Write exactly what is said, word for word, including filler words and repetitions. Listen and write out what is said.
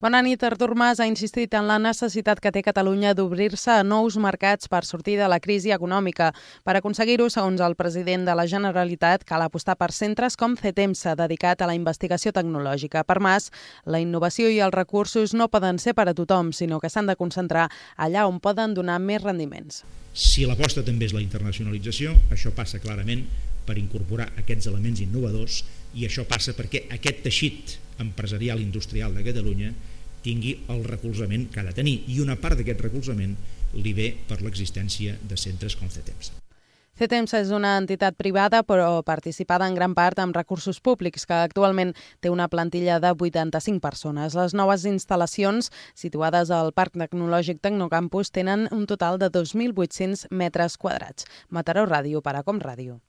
Bona nit. Artur Mas ha insistit en la necessitat que té Catalunya d'obrir-se a nous mercats per sortir de la crisi econòmica. Per aconseguir-ho, segons el president de la Generalitat, cal apostar per centres com CETEMSA, dedicat a la investigació tecnològica. Per Mas, la innovació i els recursos no poden ser per a tothom, sinó que s'han de concentrar allà on poden donar més rendiments. Si l'aposta també és la internacionalització, això passa clarament per incorporar aquests elements innovadors, i això passa perquè aquest teixit empresarial i industrial de Catalunya tingui el recolzament que ha de tenir, i una part d'aquest recolzament li ve per l'existència de centres com CETEMSA. CETEMSA és una entitat privada però participada en gran part amb recursos públics, que actualment té una plantilla de vuitanta-cinc persones. Les noves instal·lacions situades al Parc Tecnològic Tecnocampus tenen un total de dos mil vuit-cents metres quadrats. Mataró Ràdio, per a Com Ràdio.